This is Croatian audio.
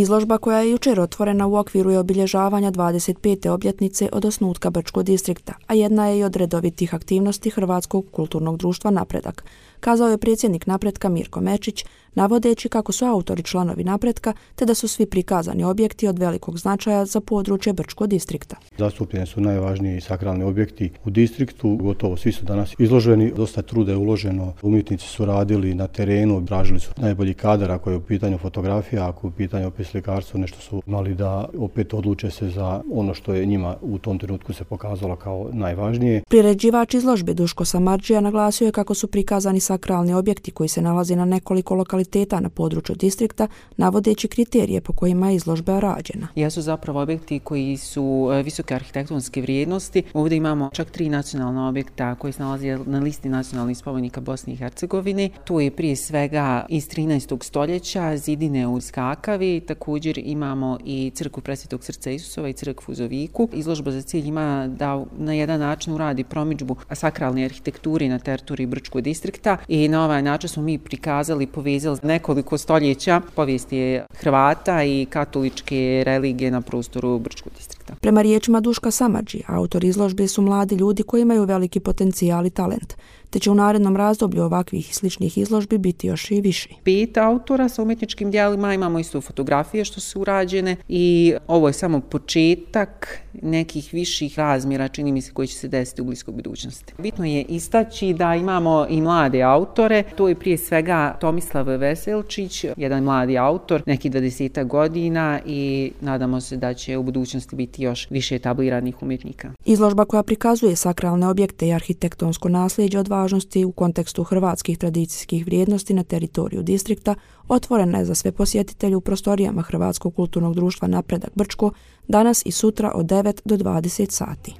Izložba koja je jučer otvorena u okviru je obilježavanja 25. obljetnice od osnutka Brčkog distrikta, a jedna je i od redovitih aktivnosti Hrvatskog kulturnog društva Napredak, kazao je predsjednik Napretka Mirko Mečić, navodeći kako su autori članovi Napretka te da su svi prikazani objekti od velikog značaja za područje Brčkog distrikta. Zastupljeni su najvažniji sakralni objekti u distriktu, gotovo svi su danas izloženi, dosta truda je uloženo, umjetnici su radili na terenu, tražili su najbolji kadar ako je u pitanju fotografija, ako je u pitanju opet slikarstvo, nešto su imali da opet odluče se za ono što je njima u tom trenutku se pokazalo kao najvažnije. Priređivač izložbe Duško Samardžija naglasio je kako su prikazani sakralni objekti koji se nalazi na nekoliko lokaliteta na području distrikta, navodeći kriterije po kojima je izložba rađena. Jesu zapravo objekti koji su visoke arhitektonske vrijednosti. Ovdje imamo čak 3 nacionalna objekta koji se nalaze na listi nacionalnih spomenika Bosne i Hercegovine. Tu je prije svega iz 13. stoljeća zidine u Skakavi, također imamo i crkvu Presvetog srca Isusova i crkvu u Zoviku. Izložba za cilj ima da na jedan način uradi promidžbu sakralne arhitekture na teritoriji Brčkog distrikta i na ovaj način smo mi prikazali, povezali nekoliko stoljeća povijesti Hrvata i katoličke religije na prostoru Brčkog distrikta. Prema riječima Duška Samardžije, autori izložbe su mladi ljudi koji imaju veliki potencijal i talent, te će u narednom razdoblju ovakvih i sličnih izložbi biti još i više. 5 autora sa umjetničkim djelima, imamo isto fotografije što su urađene i ovo je samo početak nekih viših razmjera, čini mi se, koji će se desiti u bliskoj budućnosti. Bitno je istaći da imamo i mlade autore, to je prije svega Tomislav Veselčić, jedan mladi autor, neki 20 godina i nadamo se da će u budućnosti biti još više etabliranih umjetnika. Izložba koja prikazuje sakralne objekte i arhitektonsko nasljeđe od važnosti u kontekstu hrvatskih tradicijskih vrijednosti na teritoriju distrikta otvorena je za sve posjetitelje u prostorijama Hrvatskog kulturnog društva Napredak Brčko danas i sutra od 9 do 20 sati.